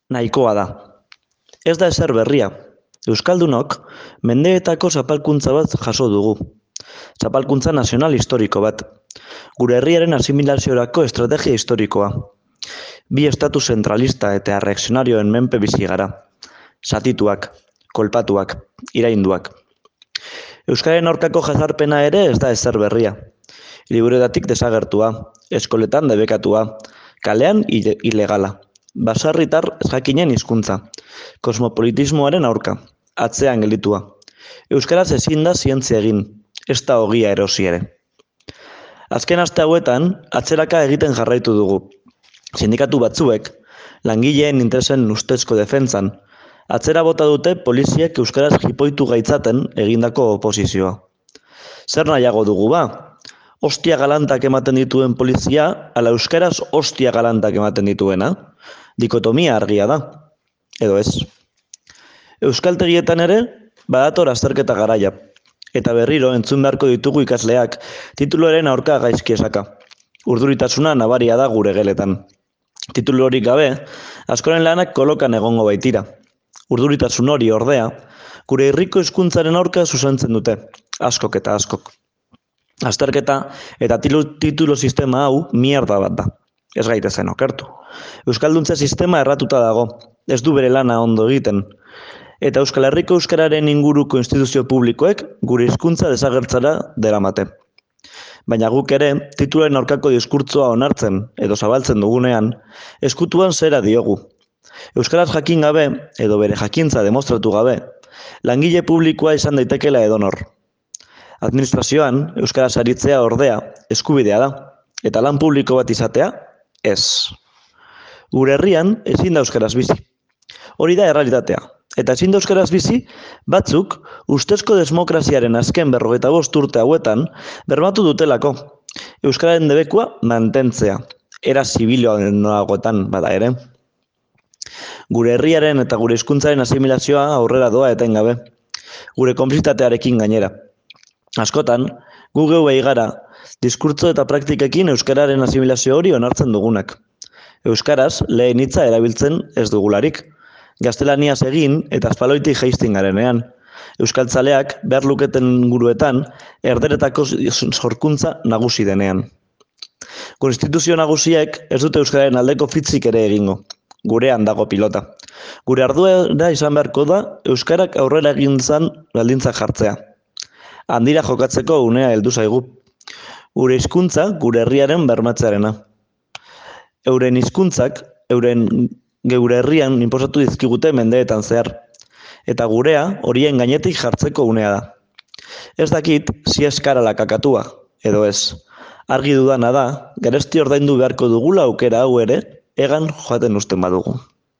nahikoa da. Ez da ezer berria. Euskaldunok mendeetako zapalkuntza bat jaso dugu. Zapalkuntza nazional historiko bat. Gure herriaren asimilaziorako estrategia historikoa. Bi estatu zentralista eta reakzionarioen menpe bizi gara. Zatituak, kolpatuak, irainduak. Euskararen aurkako jazarpena ere ez da ezer berria. Liburuetatik desagertua, eskoletan debekatua, kalean ilegala. Baserritar ezjakinen hizkuntza, kosmopolitismoaren aurka, atzean gelditua. Euskaraz ezin da zientzia egin, ez da ogia erosi ere. Azken aste hauetan, atzeraka egiten jarraitu dugu. Sindikatu batzuek, langileen interesen ustezko defentsan, atzera bota dute poliziek euskaraz jipoitu gaitzaten egindako oposizioa. Zer nahiago dugu ba? Ostia galantak ematen dituen polizia, ala euskaraz ostia galantak ematen dituena? Dikotomia argia da, edo ez. Euskaltegietan ere, badator azterketa garaia. Eta berriro entzun beharko ditugu ikasleak, tituluaren aurka gaizki esaka. Urduritasuna nabaria da gure geletan. Titulu horik gabe, askoren lanak kolokan egongo baitira. Urduritasun hori ordea, gure herriko hizkuntzaren aurka zuzentzen dute, askok eta askok. Azterketa eta titulu sistema hau mierda bat da. Ez gaitezen okertu. Euskalduntza sistema erratuta dago, ez du bere lana ondo egiten. Eta Euskal Herriko euskararen inguruko instituzio publikoek gure hizkuntza desagertzara deramate. Baina guk ere, titularen aurkako diskurtzoa onartzen edo zabaltzen dugunean, eskutuan zera diogu. Euskaraz jakin gabe, edo bere jakintza demostratu gabe, langile publikoa izan daitekela edonor. Administrazioan, euskaraz aritzea ordea, eskubidea da, eta lan publiko bat izatea, ez. Gure herrian, ezin da euskaraz bizi. Hori da errealitatea. Eta ezin da euskaraz bizi, batzuk, ustezko demokraziaren azken 55 urte hauetan, bermatu dutelako. Euskararen debekua mantentzea, era zibiloagoetan bada ere. Gure herriaren eta gure hizkuntzaren asimilazioa aurrera doa etengabe. Gure konplizitatearekin gainera. Askotan, gu geu gara, diskurtso eta praktikekin euskararen asimilazio hori onartzen dugunak. Euskaraz lehen hitza erabiltzen ez dugularik. Gaztelaniaz egin eta azpaloitik jaisten garenean. Euskaltzaleak behar luketen guruetan erderetako sorkuntza nagusi denean. Konstituzio nagusiek ez dute euskararen aldeko fitzik ere egingo. Gurean dago pilota. Gure ardura izan beharko da euskarak aurrera egintzan baldintzak jartzea. Handira jokatzeko unea heldu zaigu. Gure hizkuntza gure herriaren bermatzearena. Euren hizkuntzak geure herrian inposatu dizkigute mendeetan zehar. Eta gurea horien gainetik jartzeko unea da. Ez dakit si eskarala kakatua, edo ez. Argi dudana da, garesti ordaindu beharko dugula aukera hau ere, egan joaten usten badugu.